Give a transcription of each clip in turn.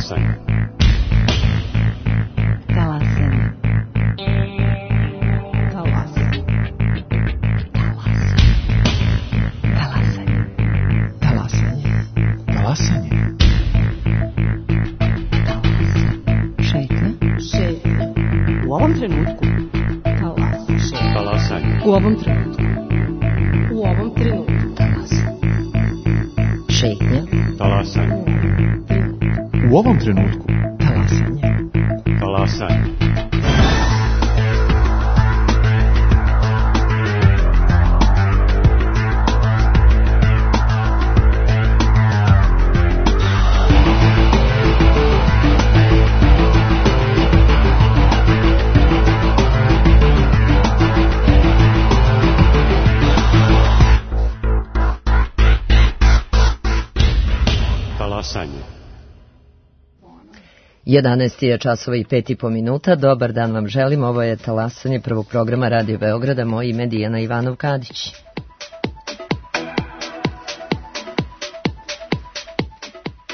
Talasanje. Talasanje. Talasanje. Talasanje. Talasanje. Šetnja. U ovom trenutku. Talasanje. U ovom trenutku. U ovom trenutku. Šetnja. Talasanje. U ovom trenutku. Talasanje. Talasanje. Talasanje. 11 je časova i 5,5 minuta. Dobar dan vam želim. Ovo je Talasanje prvog programa Radio Beograda. Moje ime je Dijana Ivanov-Kadić.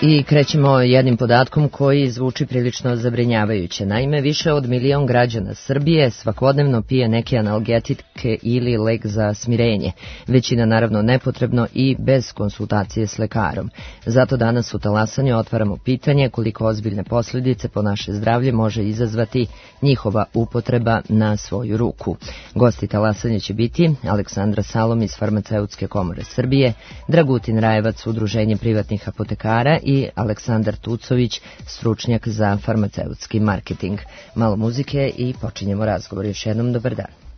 I krećemo jednim podatkom koji zvuči prilično zabrinjavajuće. Naime, više od 1 milion građana Srbije svakodnevno pije neke analgetike ili lek za smirenje. Većina naravno nepotrebno i bez konsultacije s lekarom. Zato danas u Talasanju otvaramo pitanje koliko ozbiljne posljedice po naše zdravlje može izazvati njihova upotreba na svoju ruku. Gosti Talasanja će biti Aleksandra Salom iz Farmaceutske komore Srbije, Dragutin Rajevac, Udruženje privatnih apotekara i Aleksandar Tucović, stručnjak za farmaceutski marketing. Malo muzike i počinjemo razgovor. Još jednom dobar dan.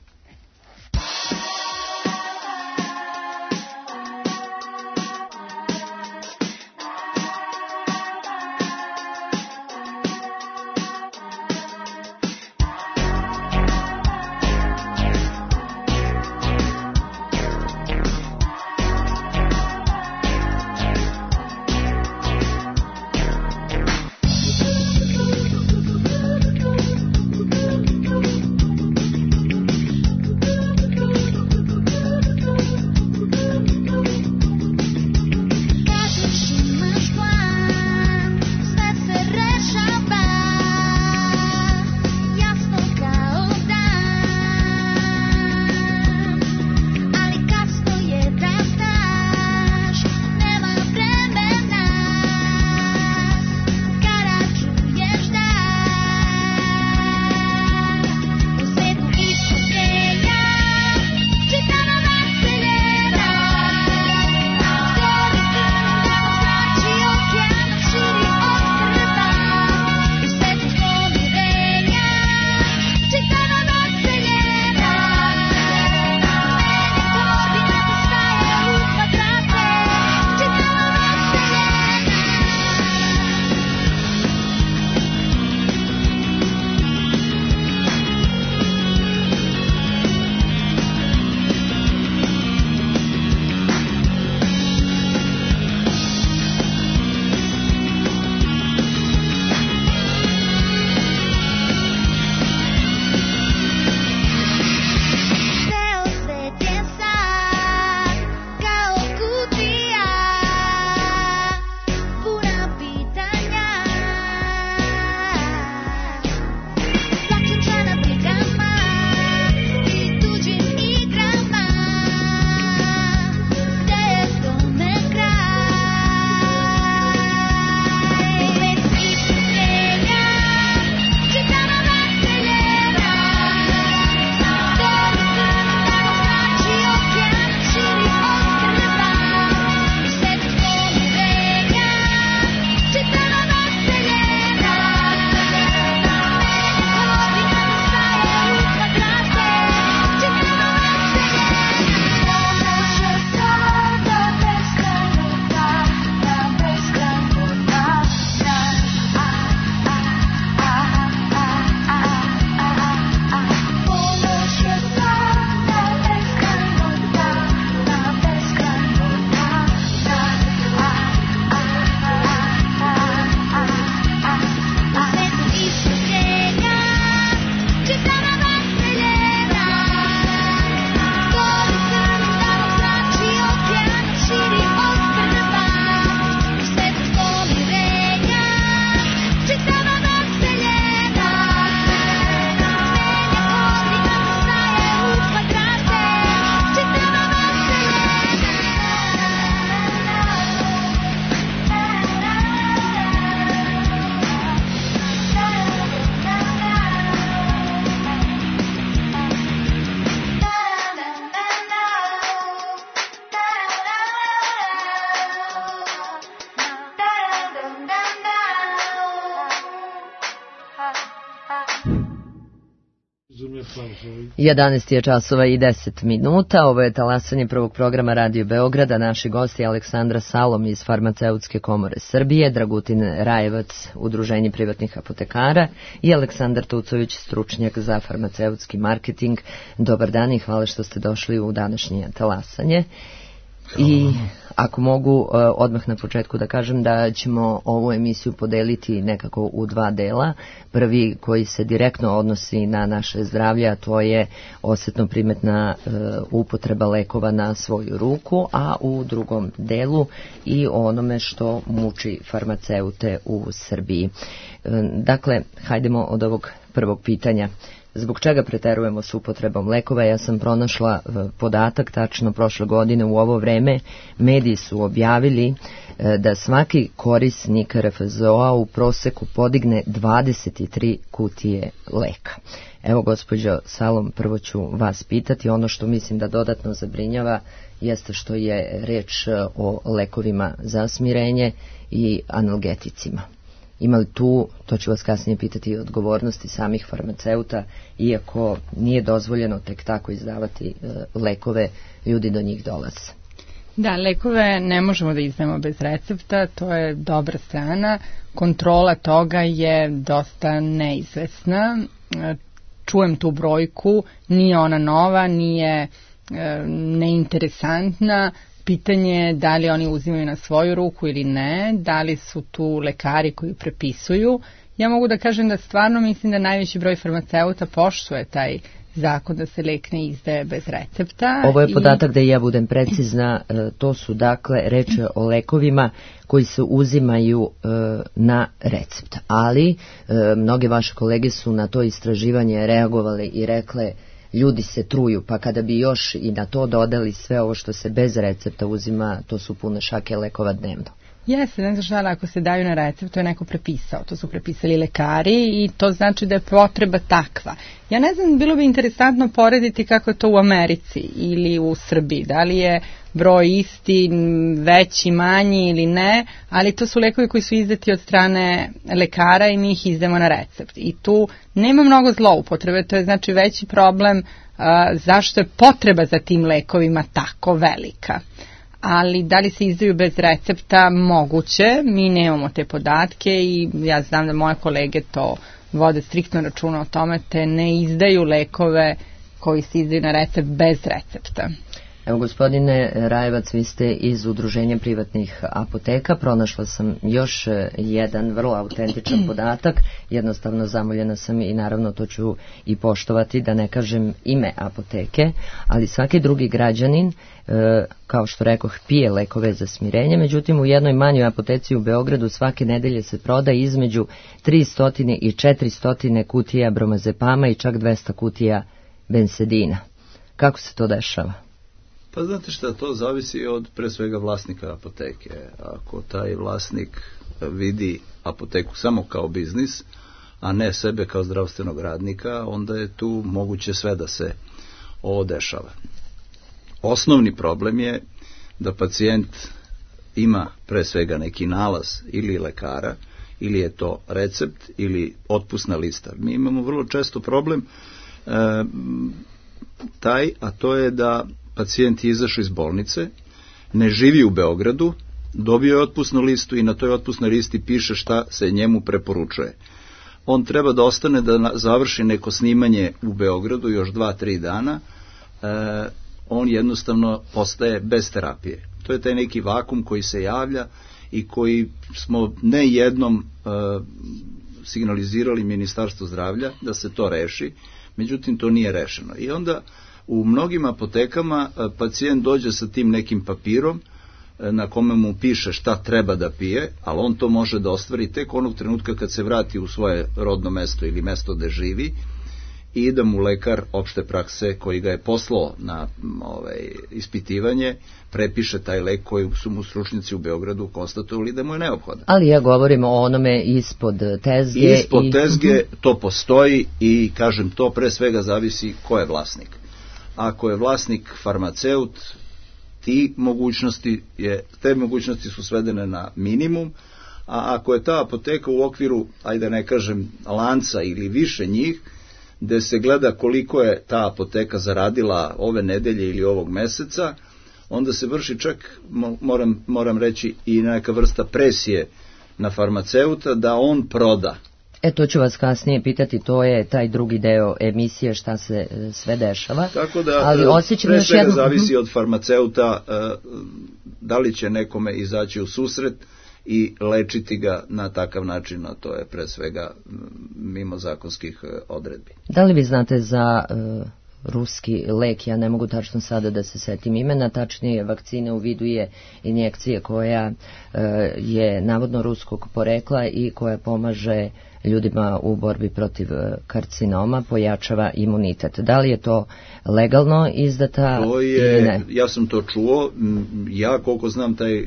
11 je časova i 10 minuta. Ovo je talasanje prvog programa Radio Beograda. Naši gosti Aleksandra Salom iz Farmaceutske komore Srbije, Dragutin Rajevac, Udruženje privatnih apotekara i Aleksandar Tucović, stručnjak za farmaceutski marketing. Dobar dan i hvala što ste došli u današnje talasanje. I ako mogu odmah na početku da kažem da ćemo ovu emisiju podeliti nekako u dva dela. Prvi koji se direktno odnosi na naše zdravlje, a to je osetno primetna upotreba lekova na svoju ruku, a u drugom delu i onome što muči farmaceute u Srbiji. Dakle, hajdemo od ovog prvog pitanja. Zbog čega preterujemo s upotrebom lekova? Ja sam pronašla podatak, tačno prošle godine u ovo vreme mediji su objavili da svaki korisnik RFZO-a u proseku podigne 23 kutije leka. Evo, gospođo Salom, prvo ću vas pitati, ono što mislim da dodatno zabrinjava jeste što je reč o lekovima za smirenje i analgeticima. Ima li tu, to ću vas kasnije pitati, odgovornosti samih farmaceuta, iako nije dozvoljeno tek tako izdavati lekove, ljudi do njih dolaze? Da, lekove ne možemo da izdajemo bez recepta, to je dobra strana. Kontrola toga je dosta neizvesna. Čujem tu brojku, nije ona nova, nije neinteresantna. Pitanje je da li oni uzimaju na svoju ruku ili ne, da li su tu lekari koji prepisuju. Ja mogu da kažem da stvarno mislim da najveći broj farmaceuta poštuje taj zakon da se lek ne izdaje bez recepta. Ovo je podatak da ja budem precizna, to su dakle reči o lekovima koji se uzimaju na recept, ali mnoge vaše kolege su na to istraživanje reagovali i rekle ljudi se truju, pa kada bi još i na to dodali sve ovo što se bez recepta uzima, to su pune šake lekova dnevno. Jeste, ne znaš, ali ako se daju na recept, to je neko prepisao, to su prepisali lekari i to znači da je potreba takva. Ja ne znam, bilo bi interesantno porediti kako je to u Americi ili u Srbiji, da li je broj isti, veći, manji ili ne, ali to su lekovi koji su izdati od strane lekara i mi ih izdamo na recept. I tu nema mnogo zloupotrebe, to je znači veći problem zašto je potreba za tim lekovima tako velika. Ali da li se izdaju bez recepta? Moguće, mi nemamo te podatke i ja znam da moje kolege to vode striktno računa o tome, te ne izdaju lekove koji se izdaju na recept bez recepta. Evo, gospodine Rajevac, vi ste iz Udruženja privatnih apoteka. Pronašla sam još jedan vrlo autentičan podatak. Jednostavno zamoljena sam i naravno to ću i poštovati, da ne kažem ime apoteke, ali svaki drugi građanin, kao što rekoh, pije lekove za smirenje. Međutim, u jednoj manjoj apoteci u Beogradu svake nedelje se proda između 300 i 400 kutija bromazepama i čak 200 kutija bensedina. Kako se to dešava? Pa znate šta, to zavisi od pre svega vlasnika apoteke. Ako taj vlasnik vidi apoteku samo kao biznis, a ne sebe kao zdravstvenog radnika, onda je tu moguće sve da se ovo dešava. Osnovni problem je da pacijent ima pre svega neki nalaz ili lekara, ili je to recept ili otpusna lista. Mi imamo vrlo često problem a to je da pacijent je izašao iz bolnice, ne živi u Beogradu, dobio je otpusnu listu i na toj otpusnoj listi piše šta se njemu preporučuje. On treba da ostane da završi neko snimanje u Beogradu još 2-3 dana, on jednostavno postaje bez terapije. To je taj neki vakum koji se javlja i koji smo ne jednom signalizirali Ministarstvu zdravlja da se to reši, međutim to nije rešeno. I onda u mnogim apotekama pacijent dođe sa tim nekim papirom na kome mu piše šta treba da pije, ali on to može da ostvari tek onog trenutka kad se vrati u svoje rodno mesto ili mesto gde živi i da mu lekar opšte prakse koji ga je poslao na ispitivanje prepiše taj lek koji su mu stručnjaci u Beogradu konstatovali da mu je neophodan. Ali ja govorim o onome ispod tezge. Ispod tezge to postoji i kažem to pre svega zavisi ko je vlasnik. Ako je vlasnik farmaceut, te mogućnosti su svedene na minimum, a ako je ta apoteka u okviru, ajde ne kažem, lanca ili više njih, gde se gleda koliko je ta apoteka zaradila ove nedelje ili ovog meseca, onda se vrši čak, moram reći, i neka vrsta presije na farmaceuta da on proda. To ću vas kasnije pitati, to je taj drugi deo emisije šta se sve dešava. Tako da, ali pre svega zavisi od farmaceuta da li će nekome izaći u susret i lečiti ga na takav način, a to je pre svega mimo zakonskih odredbi. Da li vi znate za ruski lek, ja ne mogu tačno sada da se setim imena, tačnije vakcine u vidu je injekcije koja je navodno ruskog porekla i koja pomaže ljudima u borbi protiv karcinoma, pojačava imunitet. Da li je to legalno izdata ili ne? Ja sam to čuo, ja koliko znam taj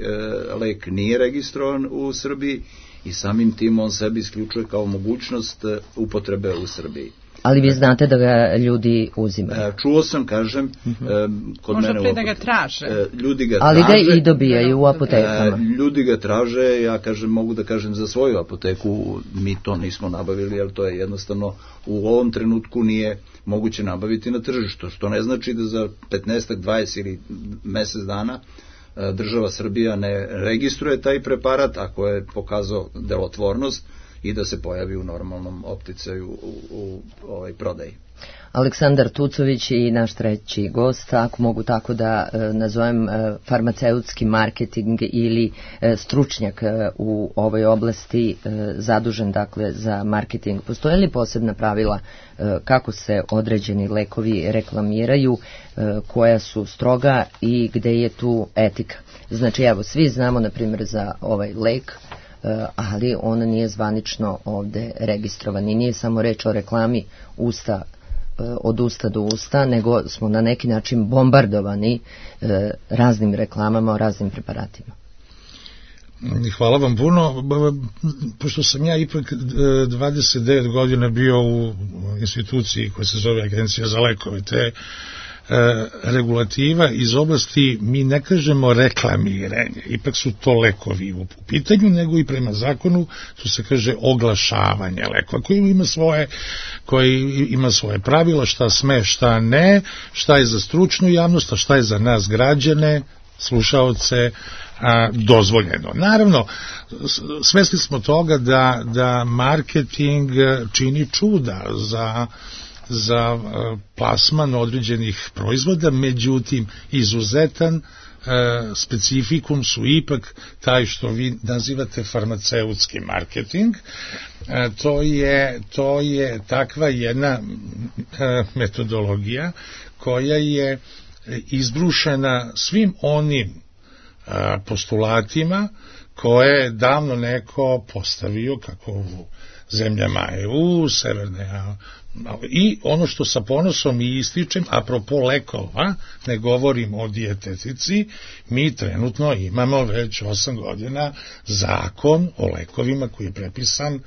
lek nije registrovan u Srbiji i samim tim on sebi isključuje kao mogućnost upotrebe u Srbiji. Ali vi znate da ga ljudi uzimaju? Čuo sam, kažem, kod možda mene... Možda pre da ga traže. Ljudi ga ali traže, ga i dobijaju u apotekama. Ljudi ga traže, ja kažem, mogu da kažem za svoju apoteku, mi to nismo nabavili, jer to je jednostavno u ovom trenutku nije moguće nabaviti na tržištu, što ne znači da za 15, 20 ili mesec dana država Srbija ne registruje taj preparat, ako je pokazao delotvornost, i da se pojavi u normalnom opticaju u prodaji. Aleksandar Tucović i naš treći gost, ako mogu tako da nazovem, farmaceutski marketing ili stručnjak u ovoj oblasti, zadužen dakle za marketing. Postoje li posebna pravila kako se određeni lekovi reklamiraju, koja su stroga i gde je tu etika? Znači, evo, svi znamo na primjer za ovaj lek, ali on nije zvanično ovde registrovan i nije samo reč o reklami od usta do usta, nego smo na neki način bombardovani raznim reklamama o raznim preparatima. Hvala vam puno. Pošto sam ja ipak 29 godina bio u instituciji koja se zove Agencija za lekove, te regulativa iz oblasti, mi ne kažemo reklamiranje, ipak su to lekovi u pitanju, nego i prema zakonu to se kaže oglašavanje lekova, koji ima svoje pravila, šta sme, šta ne, šta je za stručnu javnost, a šta je za nas građane, slušaoce, dozvoljeno. Naravno, svesni smo toga da marketing čini čuda za plasman određenih proizvoda, međutim izuzetan specifikum su ipak taj što vi nazivate farmaceutski marketing. To je takva jedna metodologija koja je izbrušena svim onim postulatima koje je davno neko postavio, kako u zemljama EU, Severne i ono što sa ponosom i ističem, apropo lekova, ne govorim o dijetetici, mi trenutno imamo već 8 godina zakon o lekovima koji je prepisan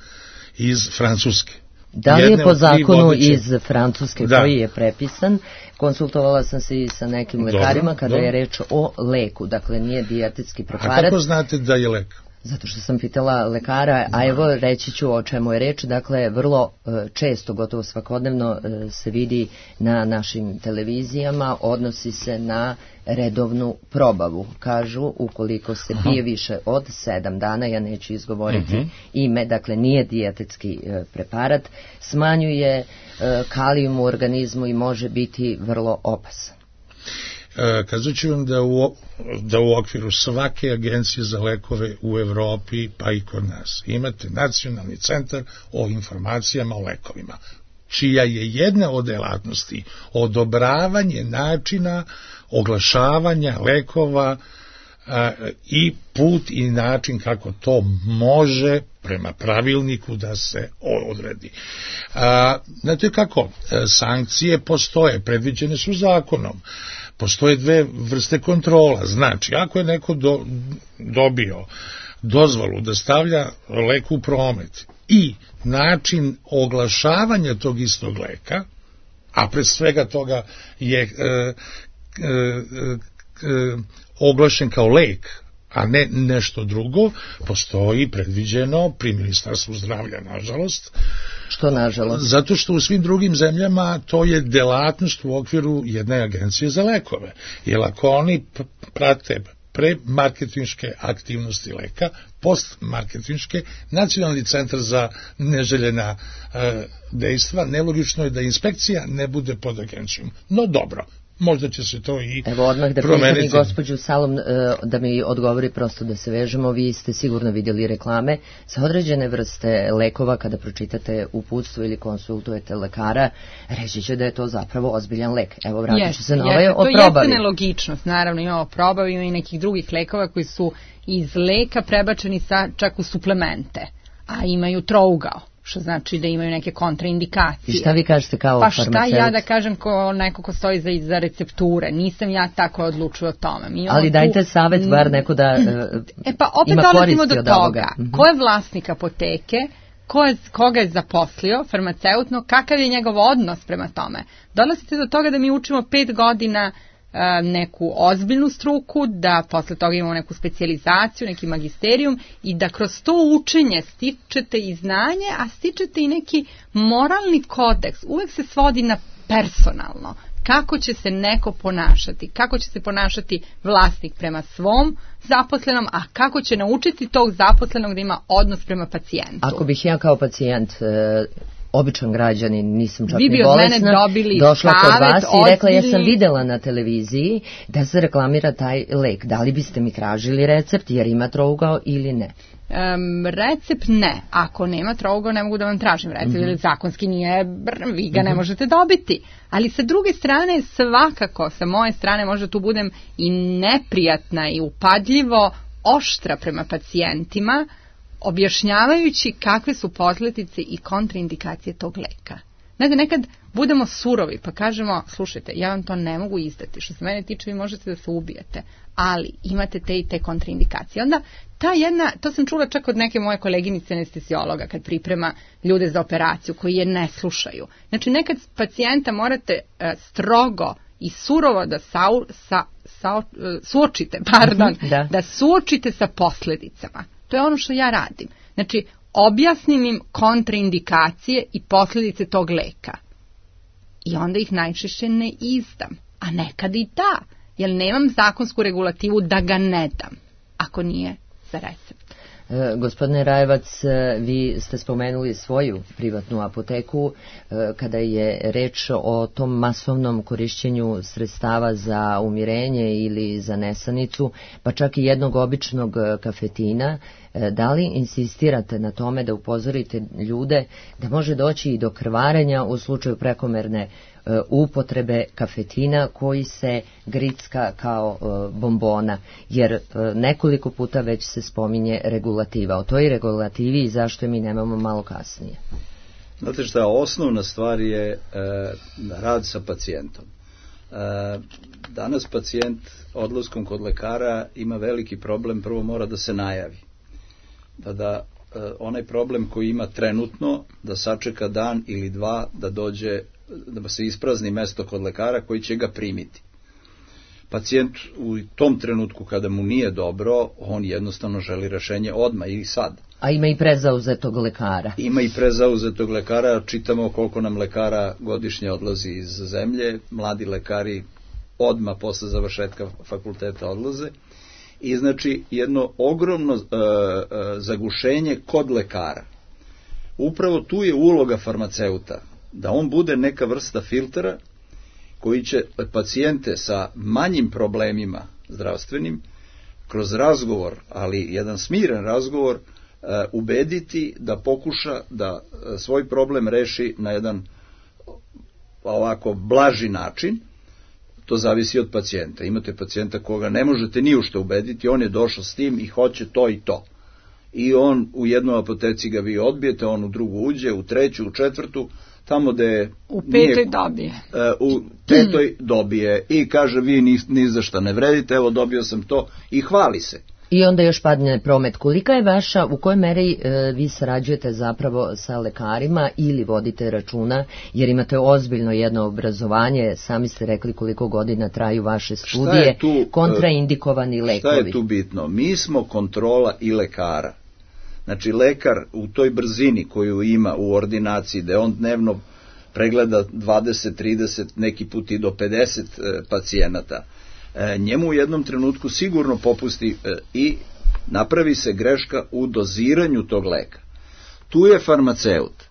iz Francuske. Da li je po zakonu iz Francuske koji je prepisan? Konsultovala sam se i sa nekim lekarima kada je reč o leku, dakle nije dijetetski preparat. A kako znate da je lek? Zato što sam pitala lekara, a evo reći ću o čemu je reč. Dakle, vrlo često, gotovo svakodnevno se vidi na našim televizijama, odnosi se na redovnu probavu. Kažu, ukoliko se pije više od 7 dana, ja neću izgovoriti ime, dakle nije dijetetski preparat, smanjuje kalijum u organizmu i može biti vrlo opasan. Kazat ću vam da u okviru svake agencije za lekove u Evropi, pa i kod nas, imate Nacionalni centar o informacijama o lekovima, čija je jedna od delatnosti odobravanje načina oglašavanja lekova i put i način kako to može prema pravilniku da se odredi. Znate kako, sankcije postoje, predviđene su zakonom. Postoje 2 vrste kontrola. Znači, ako je neko dobio dozvolu da stavlja lek u promet i način oglašavanja tog istog leka, a pred svega toga je oglašen kao lek, a ne nešto drugo, postoji predviđeno pri Ministarstvu zdravlja, nažalost. Što nažalost? Zato što u svim drugim zemljama to je delatnost u okviru jedne agencije za lekove. Jer ako oni prate pre-marketinške aktivnosti leka, post-marketinške, Nacionalni centar za neželjena dejstva, nelogično je da inspekcija ne bude pod agencijom. No dobro, možda će se to i Evo odmah da promeniti. pitam i gospođu Salom da mi odgovori, prosto da se vežemo. Vi ste sigurno vidjeli reklame za određene vrste lekova. Kada pročitate uputstvo ili konsultujete lekara, reći će da je to zapravo ozbiljan lek. Evo, vratit ću se na ovaj o probavi. To jeste nelogičnost, naravno imamo probavi, ima i nekih drugih lekova koji su iz leka prebačeni čak u suplemente, a imaju trougao, što znači da imaju neke kontraindikacije. I šta vi kažete kao farmaceut? Pa šta ja da kažem ko neko ko stoji za recepture, nisam ja tako odlučio o tome. Ali dajte savjet, bar neko da pa opet dolazimo do toga, ko je vlasnik apoteke, koga je zaposlio, farmaceutno, kakav je njegov odnos prema tome. Dolazite do toga da mi učimo 5 godina neku ozbiljnu struku, da posle toga imamo neku specijalizaciju, neki magisterijum i da kroz to učenje stičete i znanje, a stičete i neki moralni kodeks. Uvek se svodi na personalno. Kako će se neko ponašati, kako će se ponašati vlasnik prema svom zaposlenom, a kako će naučiti tog zaposlenog da ima odnos prema pacijentu. Ako bih ja kao pacijent, običan građanin, nisam čak ni bolesna, došla kod vas i rekla ja sam videla na televiziji da se reklamira taj lek. Da li biste mi tražili recept jer ima trougao ili ne? Recept ne. Ako nema trougao ne mogu da vam tražim recept, jer zakonski nije, vi ga ne možete dobiti. Ali sa druge strane svakako, sa moje strane možda tu budem i neprijatna i upadljivo oštra prema pacijentima, objašnjavajući kakve su posljedice i kontraindikacije tog leka. Znate, nekad budemo surovi pa kažemo, slušajte, ja vam to ne mogu izdati, što se mene tiče vi možete da se ubijete, ali imate te i te kontraindikacije. Onda to sam čula čak od neke moje koleginice anestezijologa kad priprema ljude za operaciju koji je ne slušaju. Znači nekad pacijenta morate strogo i surovo da suočite, da suočite sa posljedicama. To je ono što ja radim. Znači, objasnim im kontraindikacije i posljedice tog leka. I onda ih najčešće ne izdam. A nekad i da, jer nemam zakonsku regulativu da ga ne dam, ako nije za recept. Gospodine Rajevac, vi ste spomenuli svoju privatnu apoteku kada je reč o tom masovnom korišćenju sredstava za umirenje ili za nesanicu, pa čak i jednog običnog kafetina. Da li insistirate na tome da upozorite ljude da može doći i do krvarenja u slučaju prekomerne upotrebe kafetina koji se gricka kao bombona, jer nekoliko puta već se spominje regulativa. O toj regulativi i zašto je mi nemamo malo kasnije. Znate šta, osnovna stvar je rad sa pacijentom. Danas pacijent odlaskom kod lekara ima veliki problem, prvo mora da se najavi. Da onaj problem koji ima trenutno, da sačeka dan ili dva da dođe, da se isprazni mesto kod lekara koji će ga primiti. Pacijent u tom trenutku kada mu nije dobro, on jednostavno želi rešenje odmah ili sad. A ima i prezauzetog lekara. Ima i prezauzetog lekara, čitamo koliko nam lekara godišnje odlazi iz zemlje, mladi lekari odmah posle završetka fakulteta odlaze. I znači jedno ogromno zagušenje kod lekara. Upravo tu je uloga farmaceuta, da on bude neka vrsta filtera koji će pacijente sa manjim problemima zdravstvenim kroz razgovor, ali jedan smiren razgovor, ubediti da pokuša da svoj problem reši na jedan ovako blaži način. To zavisi od pacijenta. Imate pacijenta koga ne možete ni u što ubediti, on je došao s tim i hoće to i to. I on u jednoj apoteci ga vi odbijete, on u drugu uđe, u treću, u četvrtu, tamo gde u petoj dobije. U petoj dobije i kaže vi ni za šta ne vredite, evo dobio sam to i hvali se. I onda još padne promet. Kolika je vaša, u kojoj meri vi sarađujete zapravo sa lekarima ili vodite računa, jer imate ozbiljno jedno obrazovanje, sami ste rekli koliko godina traju vaše studije, kontraindikovani lekovi. Šta je tu bitno? Mi smo kontrola i lekara. Znači, lekar u toj brzini koju ima u ordinaciji, da on dnevno pregleda 20, 30, neki put i do 50 pacijenata, njemu u jednom trenutku sigurno popusti i napravi se greška u doziranju tog leka. Tu je farmaceut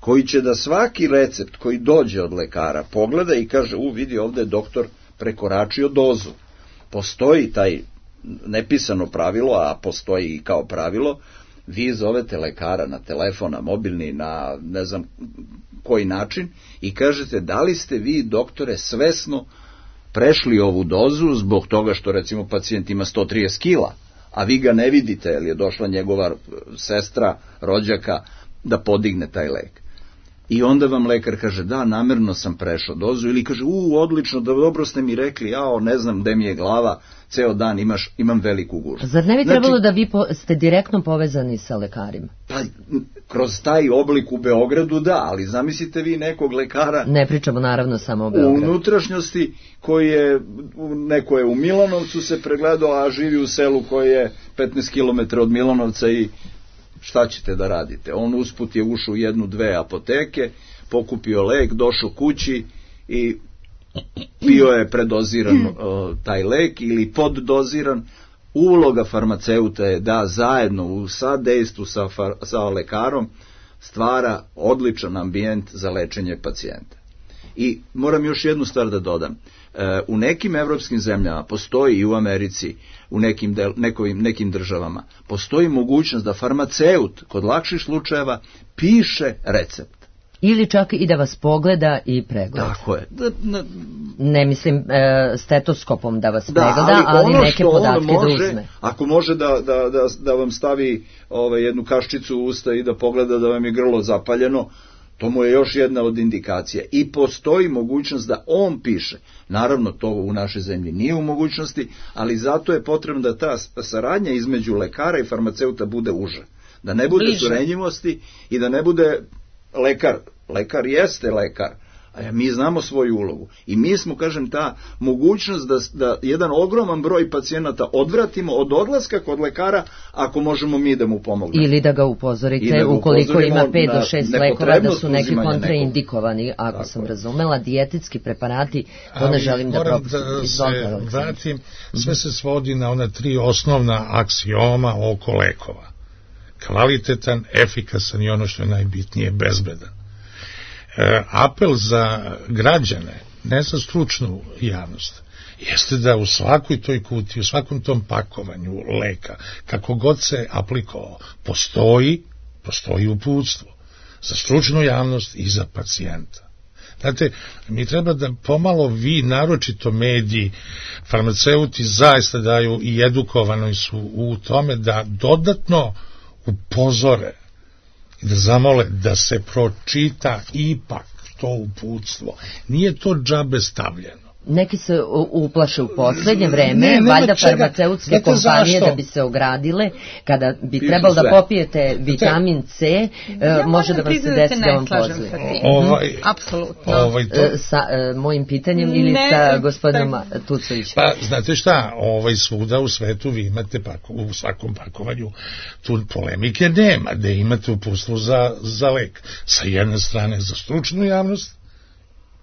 koji će da svaki recept koji dođe od lekara pogleda i kaže, vidi, ovde je doktor prekoračio dozu. Postoji taj nepisano pravilo, a postoji i kao pravilo, vi zovete lekara na telefon, na mobilni, na ne znam koji način i kažete, da li ste vi, doktore, svesno prešli ovu dozu zbog toga što, recimo, pacijent ima 130 kila, a vi ga ne vidite, jer je došla njegova sestra, rođaka, da podigne taj lek. I onda vam lekar kaže, da, namerno sam prešao dozu, ili kaže, odlično, dobro ste mi rekli, ne znam gde mi je glava, ceo dan imam veliku gužvu. Zar ne bi trebalo da vi ste direktno povezani sa lekarima? Pa, kroz taj oblik u Beogradu, da, ali zamislite vi nekog lekara... Ne pričamo naravno samo o Beogradu. U unutrašnjosti, neko je u Milanovcu se pregledao, a živi u selu koje je 15 km od Milanovca i šta ćete da radite? On usput je ušao u 1-2 apoteke, pokupio lek, došao kući i pio je predoziran taj lek ili poddoziran. Uloga farmaceuta je da zajedno u sadejstvu sa lekarom stvara odličan ambijent za lečenje pacijenta. I moram još jednu stvar da dodam. U nekim evropskim zemljama postoji i u Americi, u nekim državama, postoji mogućnost da farmaceut kod lakših slučajeva piše recept. Ili čak i da vas pogleda i pregleda. Tako je. Ne mislim stetoskopom da vas pregleda, ali neke podatke da uzme. Ako može da vam stavi jednu kaščicu u usta i da pogleda da vam je grlo zapaljeno, to mu je još jedna od indikacija. I postoji mogućnost da on piše. Naravno, to u našoj zemlji nije u mogućnosti, ali zato je potrebno da ta saradnja između lekara i farmaceuta bude uža. Da ne bude surenjivosti i da ne bude lekar jeste lekar, a mi znamo svoju ulogu. I mi smo, kažem, ta mogućnost da jedan ogroman broj pacijenata odvratimo od odlaska kod lekara, ako možemo mi da mu pomognemo. Ili da ga upozorite, ukoliko ima 5 do 6 lekova, da su neki kontraindikovani, ako sam razumela, dijetetski preparati, to ne želim da propustim. Moram da se vratim, sve se svodi na ona 3 osnovna aksioma oko lekova. Kvalitetan, efikasan i ono što je najbitnije, bezbedan. Apel za građane, ne za stručnu javnost, jeste da u svakoj toj kutiji, u svakom tom pakovanju leka, kako god se aplikovao, postoji uputstvo za stručnu javnost i za pacijenta. Znate, mi treba da pomalo vi, naročito mediji, farmaceuti zaista daju i edukovani su u tome da dodatno upozore i da zamole da se pročita ipak to uputstvo. Nije to džabe stavljeno. Neki se uplaše u poslednje vreme, valjda farmaceutske kompanije da bi se ogradile, kada bi trebalo da popijete vitamin C, može da vam se desi da vam pozli. Apsolutno. Sa mojim pitanjem ili sa gospodinom Tucovićem? Pa, znate šta, svuda u svetu vi imate u svakom pakovanju tu polemike nema, da imate uputstvo za lek. Sa jedne strane za stručnu javnost,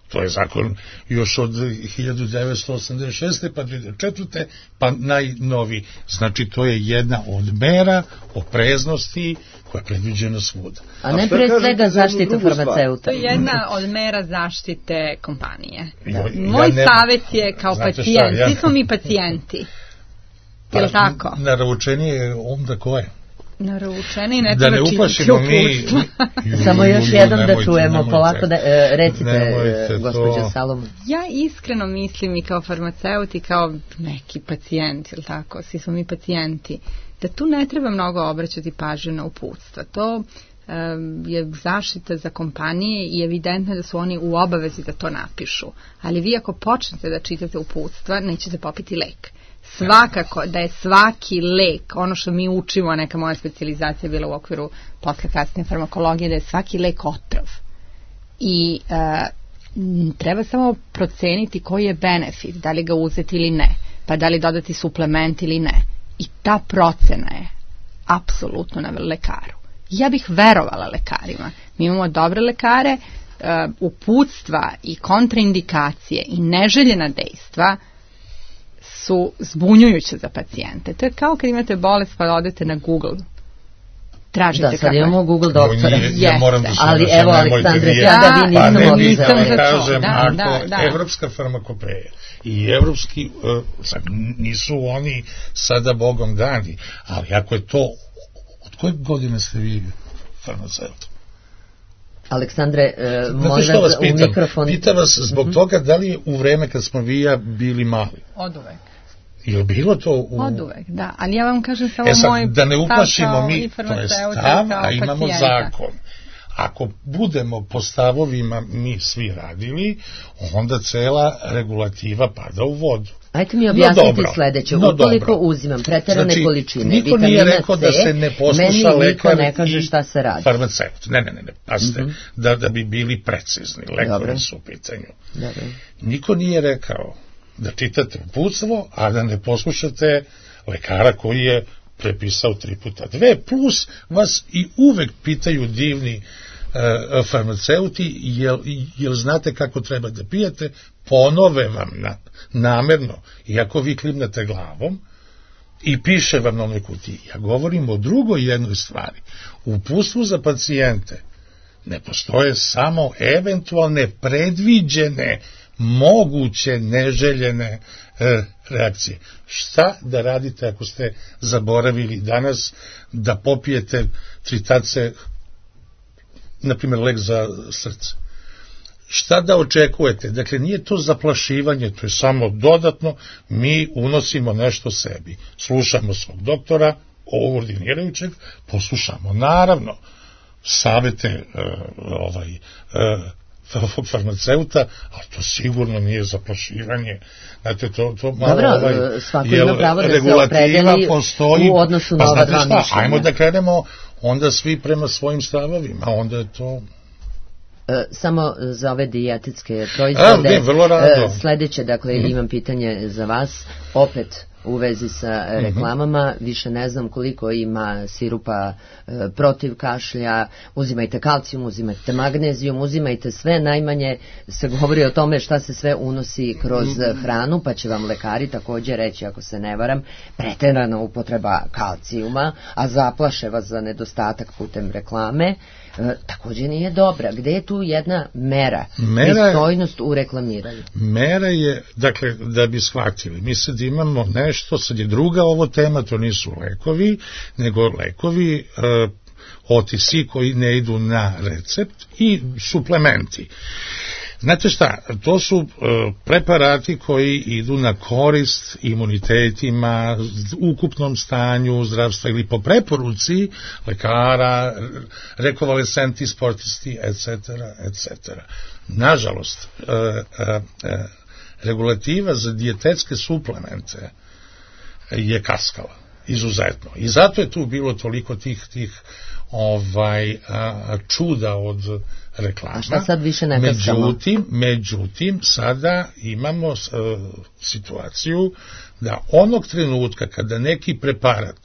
to je zakon još od 1986. pa 2004. pa najnoviji. Znači, to je jedna od mera opreznosti koja je predviđena svuda. A ne pre svega zaštita farmaceuta. To je jedna od mera zaštite kompanije. Moj savjet je kao pacijent. Svi smo mi pacijenti. Je li tako? Naručenije onda koje? Naručeni, ne treba čitati uputstva. Samo još jednom da čujemo, polako da recite, gospođo Salomon. Ja iskreno mislim i kao farmaceut i kao neki pacijent, ili tako, svi smo mi pacijenti, da tu ne treba mnogo obraćati pažnju na uputstva. To je zaštita za kompanije i evidentno da su oni u obavezi da to napišu. Ali vi ako počnete da čitate uputstva, nećete popiti lek. svakako da je svaki lek, ono što mi učimo, neka moja specijalizacija je bila u okviru posle kasne farmakologije, da je svaki lek otrov. I treba samo proceniti koji je benefit, da li ga uzeti ili ne, pa da li dodati suplement ili ne. I ta procena je apsolutno na lekaru. Ja bih verovala lekarima. Mi imamo dobre lekare, uputstva i kontraindikacije i neželjena dejstva su zbunjujuće za pacijente. To je kao kad imate bolest pa odete na Google. Tražite da, sad imamo Google doktora. Ja moram da se ali evo, Aleksandre, da vi nisam odizali. Kažem, ako evropska farmakopeja i evropski, nisu oni sada Bogom dani, ali ako je to, od koje godine ste vi farmaceut? Aleksandre, možda u mikrofon... Pitam vas zbog toga da li je u vreme kad smo vi ja bili mali? Od uvek. Je bilo to Od uvek, da. Ali ja vam kažem samo moj da ne uplašimo mi, to je stav, a imamo zakon. Ako budemo po stavovima mi svi radili, onda cela regulativa pada u vodu. Ajte mi objasniti sledeće. Ukoliko uzimam preterane količine niko nije rekao da se ne posluša lekar ne kaže šta se radi. Farmaceut. Ne. Pazite, da bi bili precizni. Lekari su u pitanju. Niko nije rekao da čitate uputstvo, a da ne poslušate lekara koji je prepisao 3x2, plus vas i uvek pitaju divni farmaceuti, jel znate kako treba da pijete, ponove vam namerno, iako vi klimnate glavom, i piše vam na onoj kutiji. Ja govorim o drugoj jednoj stvari. U uputstvu za pacijente ne postoje samo eventualne predviđene moguće neželjene reakcije. Šta da radite ako ste zaboravili danas da popijete 3 tace, na primjer lek za srce? Šta da očekujete? Dakle, nije to zaplašivanje, to je samo dodatno, mi unosimo nešto sebi. Slušamo svog doktora, ordinirajućeg, poslušamo naravno savete farmaceuta, ali to sigurno nije zaplašivanje. Znate, to malo svako ima pravo da se opredeli u odnosu na ova dva mišljenja. Ajmo da krenemo onda svi prema svojim stavovima, onda je to... Samo za ove dijetetske proizvode. Sledeće, dakle, imam pitanje za vas, opet u vezi sa reklamama, više ne znam koliko ima sirupa protiv kašlja, uzimajte kalcijum, uzimajte magnezijum, uzimajte sve, najmanje se govori o tome šta se sve unosi kroz hranu, pa će vam lekari takođe reći, ako se ne varam, preterana upotreba kalcijuma, a zaplaše vas za nedostatak putem reklame, takođe nije dobra. Gde je tu jedna mera, pristojnost u reklamiranju? Mera je, dakle, da bi shvatili, mi sad imamo nešto, sad je druga ovo tema, to nisu lekovi, nego lekovi OTC koji ne idu na recept i suplementi. Znate šta, to su preparati koji idu na korist imunitetima, ukupnom stanju zdravstva ili po preporuci lekara, rekonvalescenti, sportisti, etc. Nažalost, regulativa za dijetetske suplemente je kaskala, izuzetno. I zato je tu bilo toliko tih čuda od reklama. A šta sad više ne kaskamo? Međutim, sada imamo situaciju da onog trenutka kada neki preparat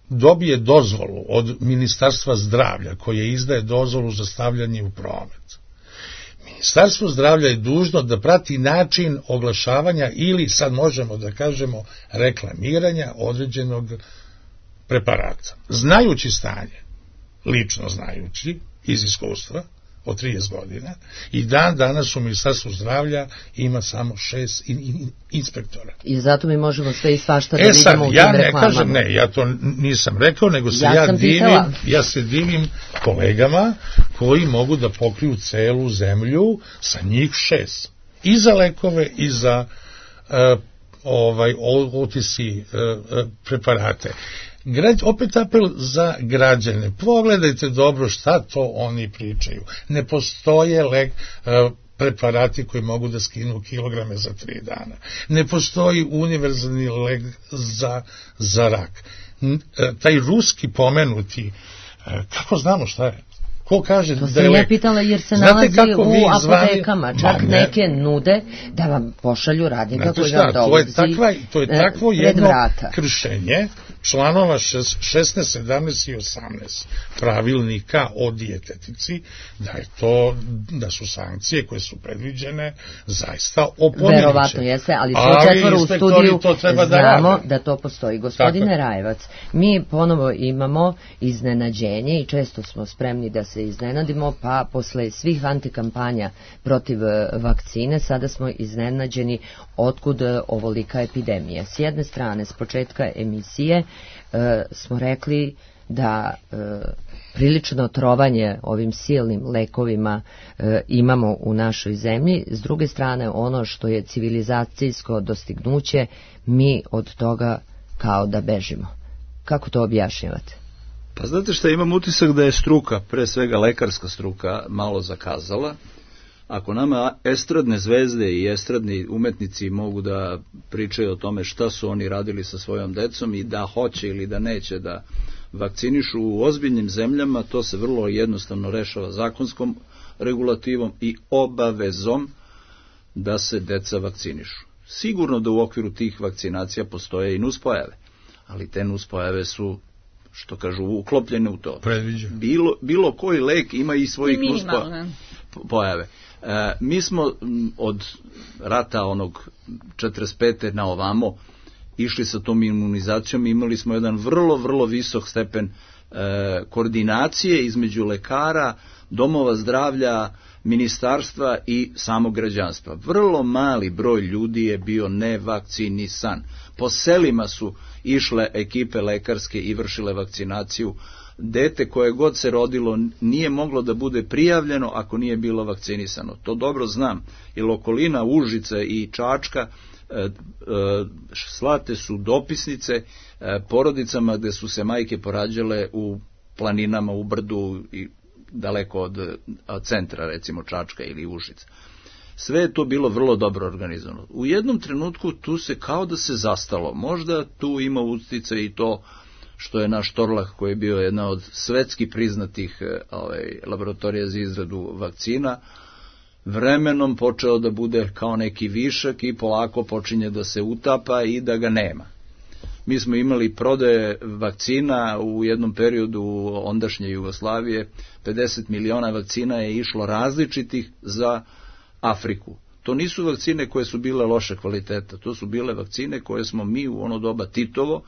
dobije dozvolu od Ministarstva zdravlja koje izdaje dozvolu za stavljanje u promet, Ministarstvo zdravlja je dužno da prati način oglašavanja ili, sad možemo da kažemo, reklamiranja određenog preparata. Znajući stanje, lično znajući, iz iskustva, od 30 godina, i danas u Ministarstvu zdravlja ima samo 6 inspektora. I zato mi možemo sve i svašta da vidimo u tim reklamama. Ja to nisam rekao, nego se ja se divim kolegama koji mogu da pokriju celu zemlju sa njih 6. I za lekove, i za OTC preparate. Opet apel za građane. Pogledajte dobro šta to oni pričaju. Ne postoje preparati koji mogu da skinu kilograme za 3 dana. Ne postoji univerzalni lek za rak. Taj ruski pomenuti, kako znamo šta je? Ko kaže to da je lek? To sam ja pitala jer se nalazi u apotekama, čak neke nude da vam pošalju radnika koji vam dolazi to je takvo pred jedno vrata. kršenje članova 16, 17 i 18 pravilnika o dijetetici, da su sankcije koje su predviđene zaista opominjuće. Verovatno jeste, ali sve četvoro u studiju znamo da to postoji. Gospodine Rajevac, mi ponovo imamo iznenađenje i često smo spremni da se iznenadimo, pa posle svih antikampanja protiv vakcine sada smo iznenađeni otkud ovolika epidemija. S jedne strane, s početka emisije smo rekli da prilično trovanje ovim silnim lekovima imamo u našoj zemlji, s druge strane ono što je civilizacijsko dostignuće, mi od toga kao da bežimo. Kako to objašnjavate? Pa znate šta, imam utisak da je struka, pre svega lekarska struka, malo zakazala. Ako nama estradne zvezde i estradni umetnici mogu da pričaju o tome šta su oni radili sa svojom decom i da hoće ili da neće da vakcinišu u ozbiljnim zemljama, to se vrlo jednostavno rešava zakonskom regulativom i obavezom da se deca vakcinišu. Sigurno da u okviru tih vakcinacija postoje i nuspojave, ali te nuspojave su, što kažu, uklopljene u to. Bilo koji lek ima i svojih nuspojave. Mi smo od rata onog 45. na ovamo išli sa tom imunizacijom i imali smo jedan vrlo visok stepen koordinacije između lekara, domova zdravlja, ministarstva i samog građanstva. Vrlo mali broj ljudi je bio nevakcinisan. Po selima su išle ekipe lekarske i vršile vakcinaciju. Dete koje god se rodilo nije moglo da bude prijavljeno ako nije bilo vakcinisano. To dobro znam, jer okolina Užice i Čačka slate su dopisnice porodicama gde su se majke porađale u planinama, u brdu i daleko od centra, recimo Čačka ili Užica. Sve je to bilo vrlo dobro organizovano. U jednom trenutku tu se kao da se zastalo. Možda tu ima utice i to što je naš Torlak, koji je bio jedna od svetski priznatih laboratorija za izradu vakcina, vremenom počeo da bude kao neki višak i polako počinje da se utapa i da ga nema. Mi smo imali prodaje vakcina u jednom periodu ondašnje Jugoslavije, 50 miliona vakcina je išlo različitih za Afriku. To nisu vakcine koje su bile loše kvaliteta, to su bile vakcine koje smo mi u ono doba Titovo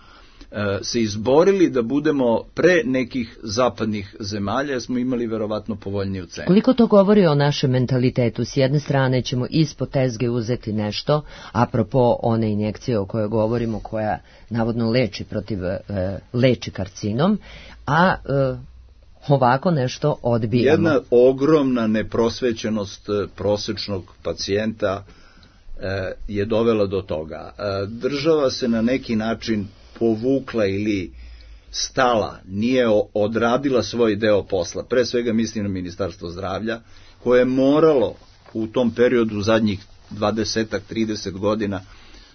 se izborili da budemo pre nekih zapadnih zemalja, jer smo imali verovatno povoljniju cenu. Koliko to govori o našem mentalitetu? S jedne strane ćemo ispod tezge uzeti nešto, apropo one injekcije o kojoj govorimo, koja navodno leči karcinom, a ovako nešto odbijamo. Jedna ogromna neprosvećenost prosečnog pacijenta je dovela do toga. Država se na neki način povukla ili stala, nije odradila svoj deo posla. Pre svega mislim na Ministarstvo zdravlja, koje je moralo u tom periodu zadnjih 20-30 godina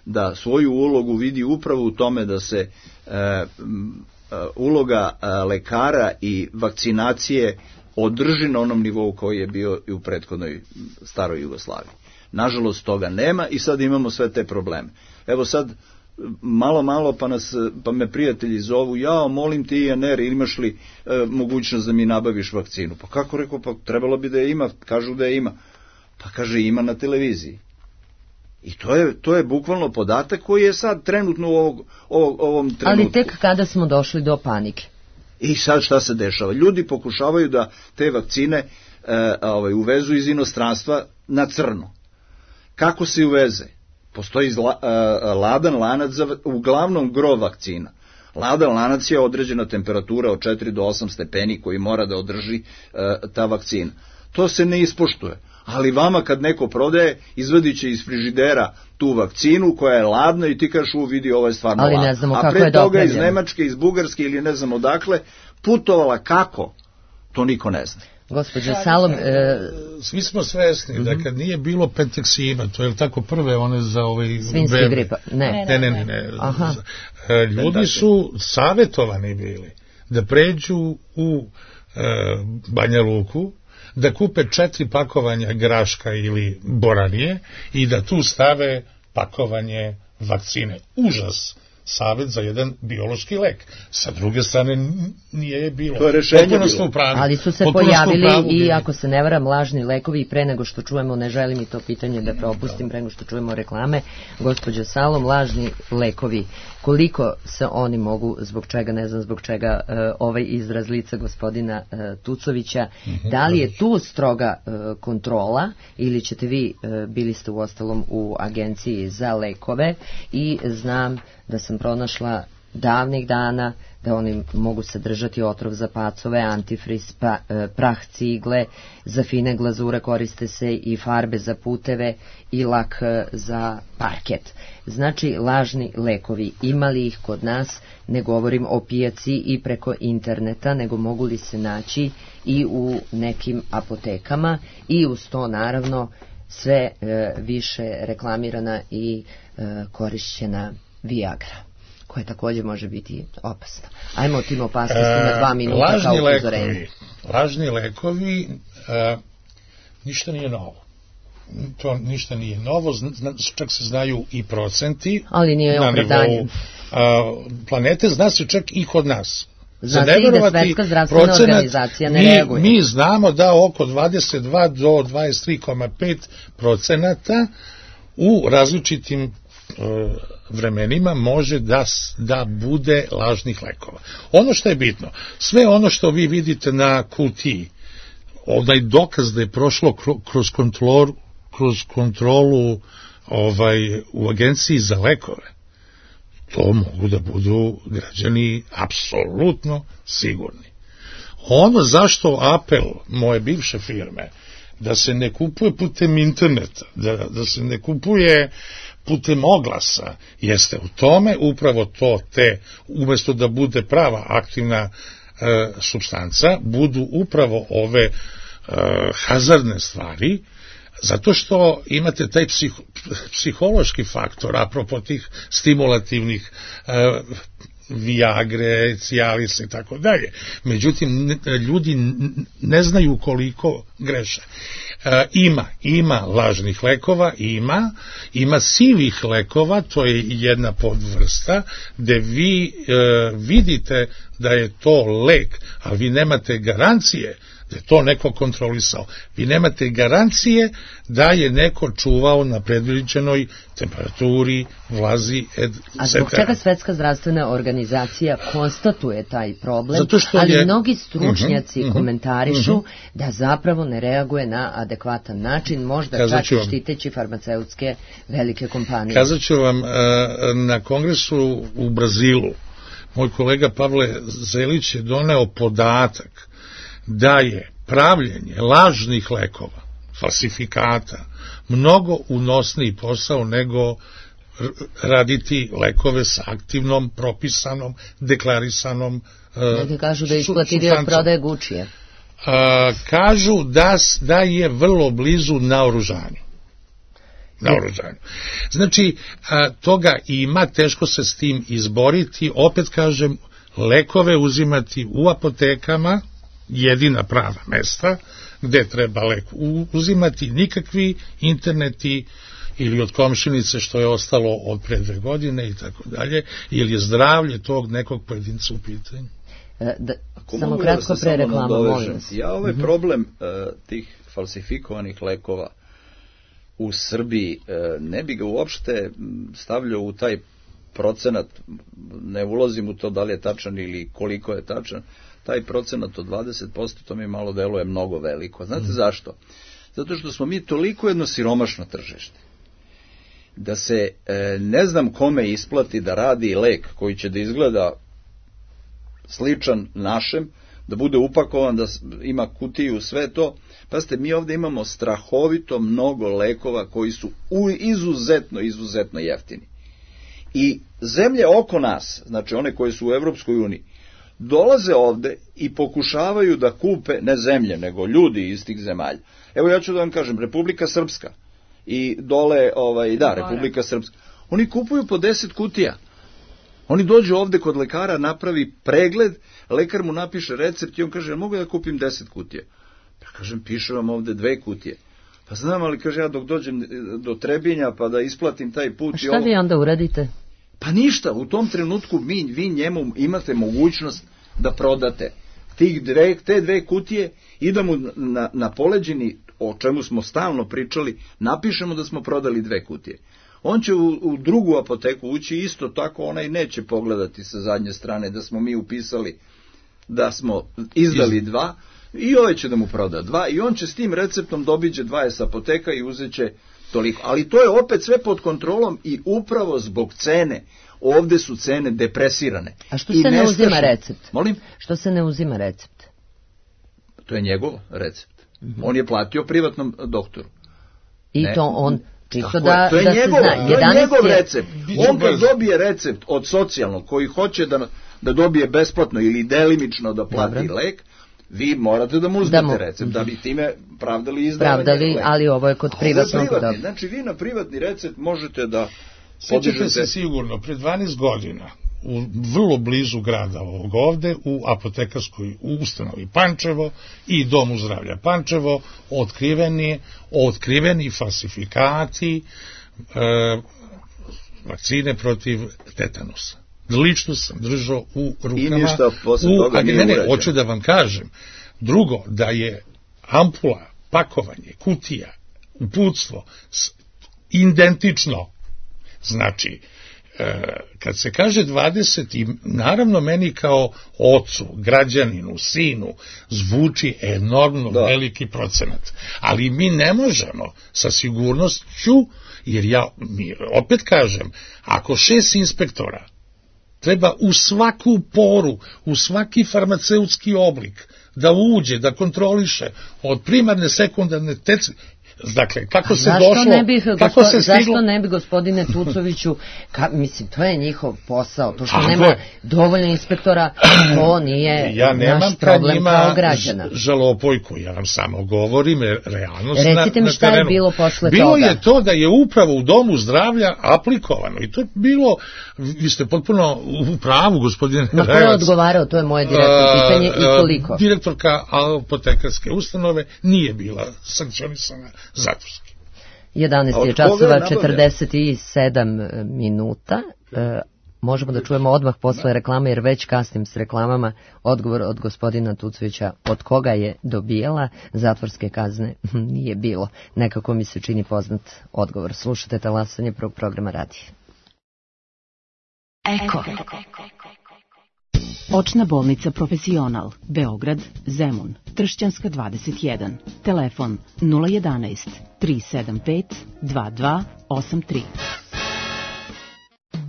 da svoju ulogu vidi upravo u tome da se uloga lekara i vakcinacije održi na onom nivou koji je bio i u prethodnoj staroj Jugoslaviji. Nažalost toga nema i sad imamo sve te probleme. Evo sad malo pa me prijatelji zovu, molim ti INR, imaš li mogućnost da mi nabaviš vakcinu? Pa kako, rekao, pa trebalo bi da je ima, kažu da je ima. Pa kaže, ima na televiziji. I to je bukvalno podatak koji je sad trenutno u ovom trenutku. Ali tek kada smo došli do panike. I sad šta se dešava? Ljudi pokušavaju da te vakcine uvezu iz inostranstva na crno. Kako se uveze? Postoji ladan lanac za uglavnom gro vakcina. Ladan lanac je određena temperatura od 4 do 8 stepeni koji mora da održi ta vakcina. To se ne ispoštuje. Ali vama kad neko prodaje, izvadit će iz frižidera tu vakcinu koja je ladna i ti kažeš, vidi, ovo je stvarno ladno. A pre toga iz Nemačke, iz Bugarske ili ne znam odakle, putovala kako, to niko ne zna. Gospođo Salom, svi smo svesni da kad nije bilo Penteksima, to je tako prve one za svinjski gripa, ne. Ljudi su savjetovani bili da pređu u Banja Luku, da kupe 4 pakovanja graška ili boranije i da tu stave pakovanje vakcine. Užas. Savjet za jedan biološki lek. Sa druge strane nije je bilo. To je rešenje bilo. Ali su se pojavili i, ako se ne varam, lažni lekovi. I pre nego što čujemo, ne želim i to pitanje da propustim, pre nego što čujemo reklame, gospođo Salom, lažni lekovi, koliko se oni mogu, zbog čega, ne znam zbog čega ovaj izraz lica gospodina Tucovića, da li je tu stroga kontrola ili ćete vi, bili ste uostalom u agenciji za lekove i znam da sam pronašla davnih dana da oni mogu sadržati otrov za pacove, antifriz, prah cigle, za fine glazure koriste se i farbe za puteve i lak za parket. Znači, lažni lekovi, ima li ih kod nas, ne govorim o pijaci i preko interneta, nego mogu li se naći i u nekim apotekama i uz to naravno sve više reklamirana i korišćena Viagra, koja također može biti opasna. Ajmo o tim opasnostima 2 minuta kao upozorenje. Lažni lekovi, ništa nije novo. To ništa nije novo, čak se znaju i procenti. Ali nije opravdanje. Planete zna se čak i kod nas. Zna se i da Svetska zdravstvena organizacija ne reaguje. Mi znamo da oko 22 do 23,5% u različitim vremenima može da bude lažnih lekova. Ono što je bitno, sve ono što vi vidite na kutiji, onaj dokaz da je prošlo kroz kontrolu u agenciji za lekove, to mogu da budu građani apsolutno sigurni. Ono zašto apel moje bivše firme da se ne kupuje putem interneta, da se ne kupuje putem oglasa, jeste u tome upravo to umjesto da bude prava aktivna supstanca, budu upravo ove hazardne stvari, zato što imate taj psihološki faktor, apropo tih stimulativnih Viagre, Cialis i tako dalje. Međutim, ljudi ne znaju koliko greše. Ima lažnih lekova, ima sivih lekova, to je jedna podvrsta, gde vi vidite da je to lek, ali vi nemate garancije da je to neko kontrolisao. Vi nemate garancije da je neko čuvao na predviđenoj temperaturi, vlazi, etc. A zbog čega Svetska zdravstvena organizacija konstatuje taj problem, ali mnogi stručnjaci komentarišu da zapravo ne reaguje na adekvatan način, možda čak i štiteći farmaceutske velike kompanije. Kazat ću vam, na kongresu u Brazilu, moj kolega Pavle Zelić je doneo podatak da je pravljenje lažnih lekova, falsifikata, mnogo unosniji posao nego raditi lekove sa aktivnom, propisanom, deklarisanom Neki kažu da je isplatili od prodaje Gucci-a. Kažu da je vrlo blizu naoružanju. Znači, toga ima, teško se s tim izboriti. Opet kažem, lekove uzimati u apotekama, jedina prava mesta gde treba lek uzimati, nikakvi interneti ili od komšinice što je ostalo od pre 2 godine i tako dalje, ili je zdravlje tog nekog pojedinca u pitanju. Samo kratko pre reklama, molim vas. Ja ovaj problem tih falsifikovanih lekova u Srbiji ne bi ga uopšte stavljao u taj procenat, ne ulazim u to da li je tačan ili koliko je tačan, taj procenat od 20%, to mi malo deluje mnogo veliko. Znate zašto? Zato što smo mi toliko jedno siromašno tržište, da se ne znam kome isplati da radi lek koji će da izgleda sličan našem, da bude upakovan, da ima kutiju, sve to. Pazite, mi ovdje imamo strahovito mnogo lekova koji su izuzetno jeftini. I zemlje oko nas, znači one koje su u Evropskoj uniji, dolaze ovde i pokušavaju da kupe ne zemlje, nego ljudi iz tih zemalja. Evo ja ću da vam kažem, Republika Srpska i dole, Republika Srpska, oni kupuju po 10 kutija. Oni dođu ovde kod lekara, napravi pregled, lekar mu napiše recept i on kaže, mogu da kupim 10 kutija? Ja kažem, piše vam ovde 2 kutije. Pa znam, ali kaže, ja dok dođem do Trebinja pa da isplatim taj put... Šta vi onda uradite? Pa ništa, u tom trenutku vi njemu imate mogućnost da prodate te 2 kutije i da mu na poleđini, o čemu smo stalno pričali, napišemo da smo prodali 2 kutije. On će u drugu apoteku ući isto tako, onaj neće pogledati sa zadnje strane da smo mi upisali da smo izdali 2 i ovaj će da mu proda 2 i on će s tim receptom dobiđe 20 apoteka i uzet će toliko. Ali to je opet sve pod kontrolom i upravo zbog cene. Ovde su cene depresirane. A što se ne uzima recept? Molim? Što se ne uzima recept? To je njegov recept. On je platio privatnom doktoru. I to on... Čisto da se zna. To je njegov recept. On kad dobije recept od socijalnog koji hoće da dobije besplatno ili delimično da plati lek, vi morate da mu uzmete recept, da bi time pravdali izdavanje leka. Ali ovo je kod privatnog. Znači vi na privatni recept možete da Sjećate se sigurno, pred 12 godina u vrlo blizu grada ovog ovde, u apotekarskoj ustanovi Pančevo i Domu zdravlja Pančevo, otkriveni falsifikati vakcine protiv tetanusa. Lično sam držao u rukama. I ništa posle toga nije urađeno. Hoću da vam kažem. Drugo, da je ampula, pakovanje, kutija, uputstvo identično. Znači, kad se kaže 20, i naravno meni kao ocu, građaninu, sinu, zvuči enormno veliki procenat. Ali mi ne možemo sa sigurnošću, jer opet kažem, ako 6 inspektora treba u svaku poru, u svaki farmaceutski oblik da uđe, da kontroliše od primarne, sekundarne, dakle, kako se došlo, zašto ne bi, gospodine Tucoviću, mislim, to je njihov posao, to što nema dovoljno inspektora, to nije naš problem kao građana. Ja nemam žalopojku, ja vam samo govorim realnost na terenu. Recite mi šta je bilo posle toga. Bilo je to da je upravo u Domu zdravlja aplikovano i to je bilo, vi ste potpuno u pravu, gospodine Revac. Ko je odgovarao, to je moje direktno pitanje i koliko? Direktorka apotekarske ustanove nije bila sankcionisana zatvorski. 11 je časova 47 minuta. Možemo da čujemo odmah posle reklame, jer već kasnim s reklamama. Odgovor od gospodina Tucovića, od koga je dobijala zatvorske kazne, nije bilo. Nekako mi se čini poznat odgovor. Slušate talasanje prvog programa radija. Eko. Očna bolnica Profesional, Beograd, Zemun, Tršćanska 21, telefon 011 375 2283.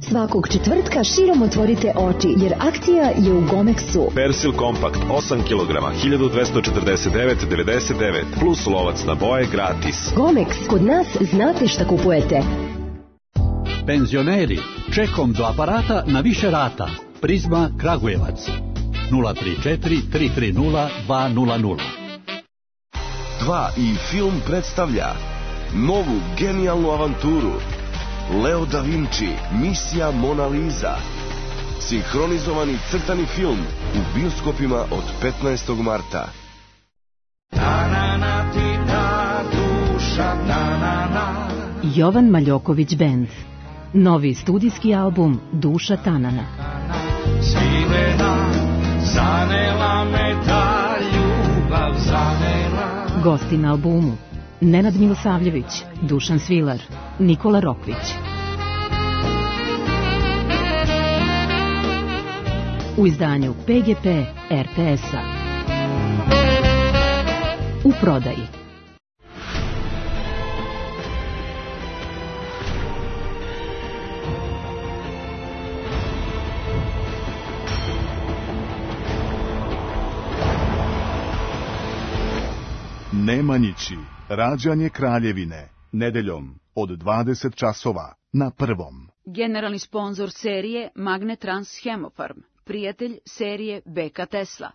Svakog četvrtka širom otvorite oči, jer akcija je u Gomexu. Persil Kompakt 8 kg 1249,99 plus lovac na boje gratis. Gomex, kod nas znate šta kupujete. Penzioneri, čekom do aparata na više rata. Prizma Kragujevac 034 330 200. 2 i film predstavlja novu genijalnu avanturu Leo da Vinci, misija Mona Lisa. Sinhronizovani crtani film u bioskopima od 15. marta. Jovan Maljoković Band. Novi studijski album Duša Tanana. Svirena, zanela me ta ljubav, zanela. Gosti na albumu: Nenad Milosavljević, Dušan Svilar, Nikola Rokvić. U izdanju PGP RTS-a. U prodaji. Nemanjići, rađanje Kraljevine, nedeljom od 20 časova na Prvom. Generalni sponzor serije Magnetrans Hemofarm, prijatelj serije Beka Tesla.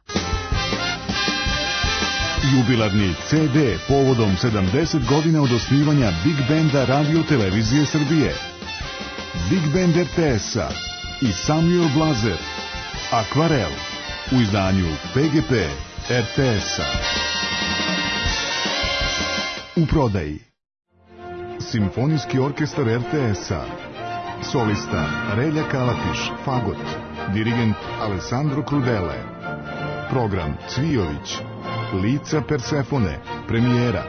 Jubilarni CD povodom 70 godina od osnivanja Big Benda Radio Televizije Srbije. Big Band RTS-a i Samuel Blazer, Akvarel, u izdanju PGP RTS-a. U prodaji Simfonijski orkestar RTS-a, solista Relja Kalatiš, fagot, dirigent Alessandro Crudele, program Cvijović, Lica Persefone, premijera,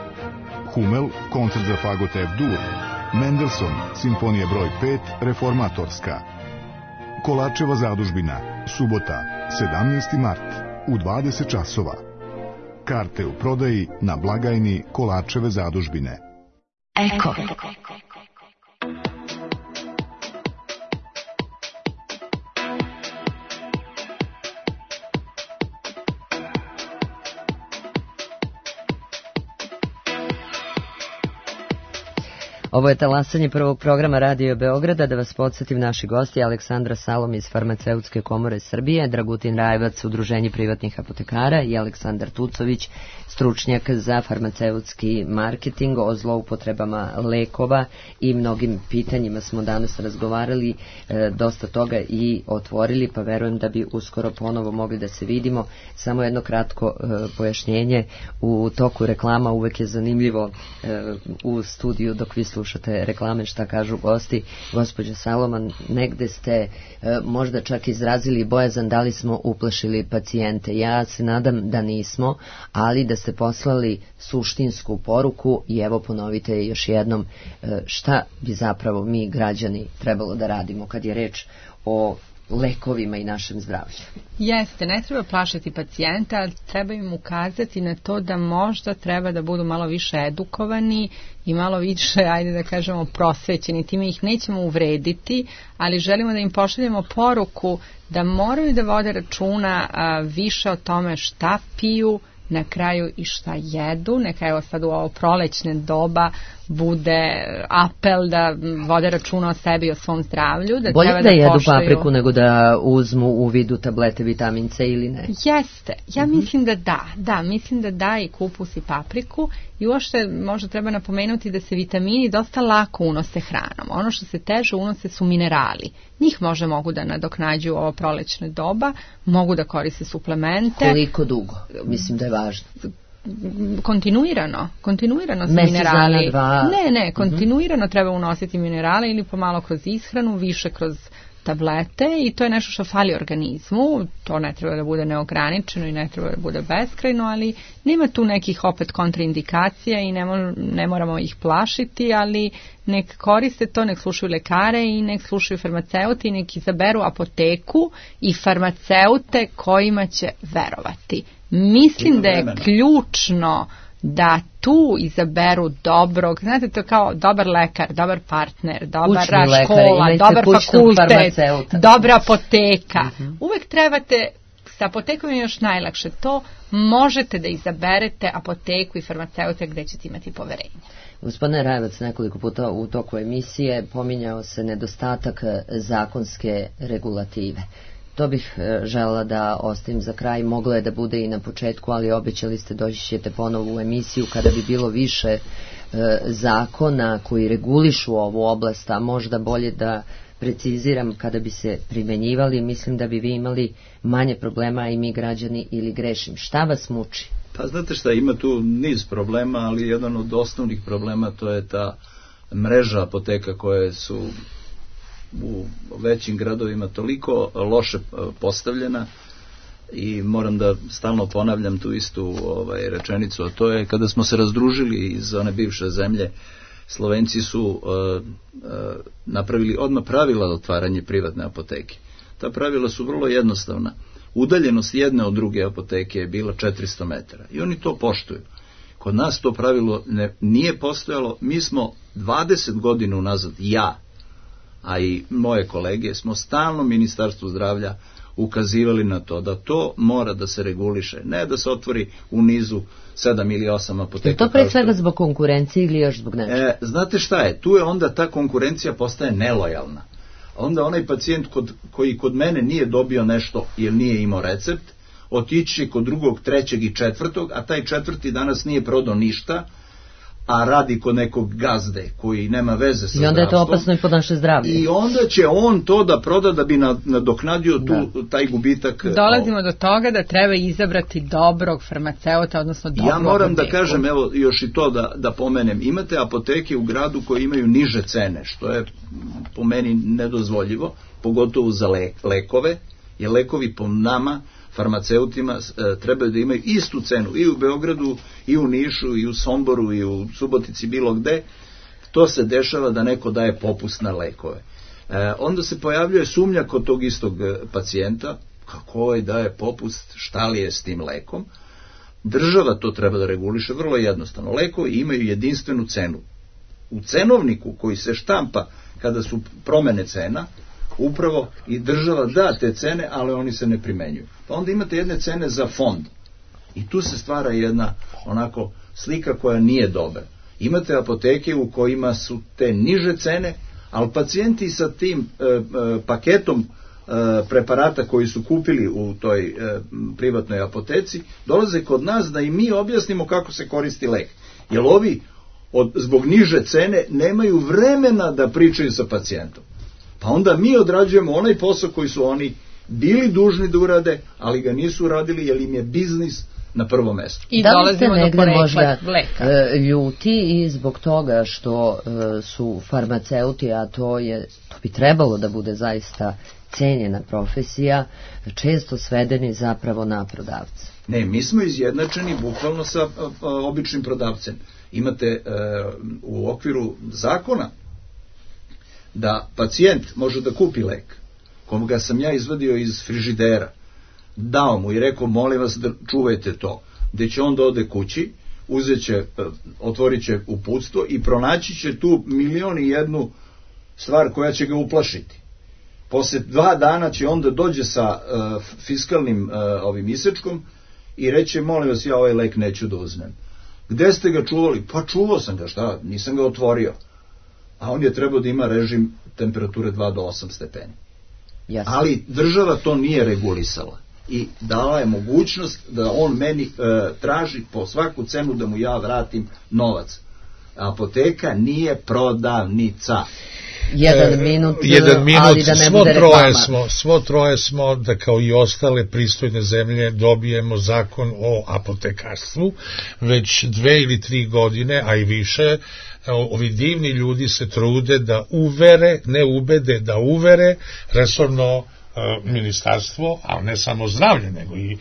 Hummel, koncert za fagot F-dur, Mendelssohn, simfonija broj 5, reformatorska. Kolačeva zadužbina, subota, 17. mart, u 20 časova. Karte u prodaji na blagajni Kolačeve zadužbine. Eko. Ovo je talasanje prvog programa Radio Beograda. Da vas podsjetim, naši gosti Aleksandra Salom iz Farmaceutske komore Srbije, Dragutin Rajevac, Udruženje privatnih apotekara i Aleksandar Tucović, stručnjak za farmaceutski marketing. O zloupotrebama lekova i mnogim pitanjima smo danas razgovarali, dosta toga i otvorili, pa verujem da bi uskoro ponovo mogli da se vidimo. Samo jedno kratko pojašnjenje. U toku reklama uvek je zanimljivo u studiju dok vi slušate reklame šta kažu gosti. Gospođa Saloman, negde ste možda čak izrazili bojazan da li smo uplašili pacijente. Ja se nadam da nismo, ali da ste poslali suštinsku poruku i evo ponovite još jednom šta bi zapravo mi građani trebalo da radimo kad je reč o lekovima i našem zdravlju. Jeste, ne treba plašiti pacijenta, ali treba im ukazati na to da možda treba da budu malo više edukovani i malo više, ajde da kažemo, prosvećeni. Time ih nećemo uvrediti, ali želimo da im pošaljemo poruku da moraju da vode računa više o tome šta piju, na kraju i šta jedu. Neka evo sad u ovo prolećne doba bude apel da vode računa o sebi i o svom zdravlju. Da bolje treba da jedu poštuju papriku nego da uzmu u vidu tablete vitamin C ili ne? Jeste, ja mislim da da. Da, mislim da da i kupus i papriku. I uopšte možda treba napomenuti da se vitamini dosta lako unose hranom. Ono što se teže unose su minerali. Njih možda mogu da nadoknađuju ovo prolećne doba, mogu da koriste suplemente. Koliko dugo? Mislim da je važno. Kontinuirano su mesec minerali. Dana, 2. Ne, kontinuirano treba unositi minerale ili pomalo kroz ishranu, više kroz tablete i to je nešto što fali organizmu. To ne treba da bude neograničeno i ne treba da bude beskrajno, ali nema tu nekih opet kontraindikacija i ne moramo ih plašiti, ali nek koriste to, nek slušaju lekare i nek slušaju farmaceuti i nek izaberu apoteku i farmaceute kojima će verovati. Mislim da je ključno da tu izaberu dobrog, znate, to kao dobar lekar, dobar partner, dobra škola, dobar fakultet, dobra apoteka. Uvek trebate, sa apotekom je još najlakše, to možete da izaberete apoteku i farmaceute gde ćete imati poverenje. Gospodine Rajevac, nekoliko puta u toku emisije pominjao se nedostatak zakonske regulative. To bih željela da ostavim za kraj. Moglo je da bude i na početku, ali obećali ste doći ćete ponovo u emisiju kada bi bilo više zakona koji regulišu ovu oblast, a možda bolje da preciziram kada bi se primenjivali. Mislim da bi vi imali manje problema i mi građani, ili grešim. Šta vas muči? Pa znate šta, ima tu niz problema, ali jedan od osnovnih problema to je ta mreža apoteka koje su u većim gradovima toliko loše postavljena i moram da stalno ponavljam tu istu rečenicu, a to je kada smo se razdružili iz one bivše zemlje, Slovenci su napravili odmah pravila za otvaranje privatne apoteke. Ta pravila su vrlo jednostavna. Udaljenost jedne od druge apoteke je bila 400 metara i oni to poštuju. Kod nas to pravilo nije postojalo. Mi smo 20 godina unazad, a i moje kolege, smo stalno Ministarstvu zdravlja ukazivali na to da to mora da se reguliše, ne da se otvori u nizu 7 ili 8 apoteka. Je to pre svega zbog konkurencije ili još zbog nečega? Znate šta je, tu je onda ta konkurencija postaje nelojalna. onda onaj pacijent koji kod mene nije dobio nešto jer nije imao recept, otići će kod drugog, trećeg i četvrtog, a taj četvrti danas nije prodao ništa, a radi kod nekog gazde koji nema veze sa zdravstvom. I onda je to opasno i po naše zdravlje. I onda će on to da proda da bi nadoknadio taj gubitak. Dolazimo do toga da treba izabrati dobrog farmaceuta, odnosno dobrog Ja moram apoteku. da kažem, evo još i to da pomenem, imate apoteke u gradu koje imaju niže cene, što je po meni nedozvoljivo, pogotovo za lekove, jer lekovi po nama farmaceutima trebaju da imaju istu cenu i u Beogradu, i u Nišu, i u Somboru, i u Subotici, bilo gde. To se dešava da neko daje popust na lekove. Onda se pojavljuje sumnja kod tog istog pacijenta, kako je daje popust, šta li je s tim lekom. Država to treba da reguliše vrlo jednostavno. Lekovi imaju jedinstvenu cenu. U cenovniku koji se štampa kada su promene cena, upravo i država da te cene, ali oni se ne primenjuju. Pa onda imate jedne cene za fond. I tu se stvara jedna onako slika koja nije dobra. Imate apoteke u kojima su te niže cene, ali pacijenti sa tim paketom preparata koji su kupili u toj privatnoj apoteci dolaze kod nas da i mi objasnimo kako se koristi lek. Jer ovi zbog niže cene nemaju vremena da pričaju sa pacijentom. Pa onda mi odrađujemo onaj posao koji su oni bili dužni da urade, ali ga nisu uradili jer im je biznis na prvom mestu. I da li ste negde možda ljuti i zbog toga što su farmaceuti, a to bi trebalo da bude zaista cenjena profesija, često svedeni zapravo na prodavce? Ne, mi smo izjednačeni bukvalno sa običnim prodavcem. Imate u okviru zakona da pacijent može da kupi lek, koga sam ja izvadio iz frižidera, dao mu i rekao, molim vas da čuvajte to, gde će on da ode kući, otvorit će uputstvo i pronaći će tu 1.000.001 stvar koja će ga uplašiti. Posle 2 dana će onda dođe sa fiskalnim ovim isečkom i reće, molim vas, ja ovaj lek neću da uzmem. Gde ste ga čuvali? Pa čuvao sam ga, šta? Nisam ga otvorio. A on je trebao da ima režim temperature 2 do 8 stepeni. Jasne. Ali država to nije regulisala i dala je mogućnost da on meni traži po svaku cenu da mu ja vratim novac. Apoteka nije prodavnica. Jedan minut, ali da ne bude reklama. Svo troje smo, da kao i ostale pristojne zemlje dobijemo zakon o apotekarstvu, već 2 ili 3 godine, a i više, ovi divni ljudi se trude da ne ubede, da uvere resorno ministarstvo, ali ne samo zdravlje, nego i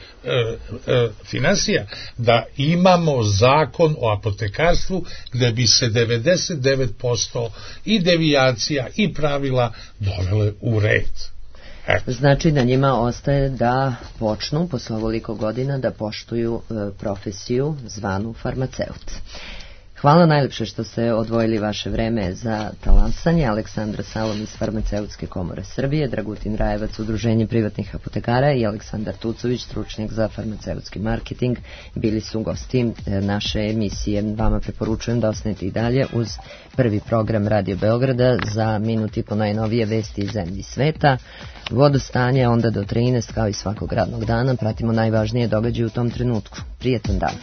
finansija, da imamo zakon o apotekarstvu gde bi se 99% i devijacija i pravila dovele u red. Znači da njima ostaje da počnu posle ovoliko godina da poštuju profesiju zvanu farmaceut. Hvala najlepše što ste odvojili vaše vreme za talansanje. Aleksandra Salom iz Farmaceutske komore Srbije, Dragutin Rajevac, Udruženje privatnih apotekara i Aleksandar Tucović, stručnjak za farmaceutski marketing, bili su gosti naše emisije. Vama preporučujem da ostanete i dalje uz prvi program Radio Beograda za minut i po najnovije vesti iz zemlji i sveta. Vodostanje onda do 13 kao i svakog radnog dana. Pratimo najvažnije događaje u tom trenutku. Prijetan dan.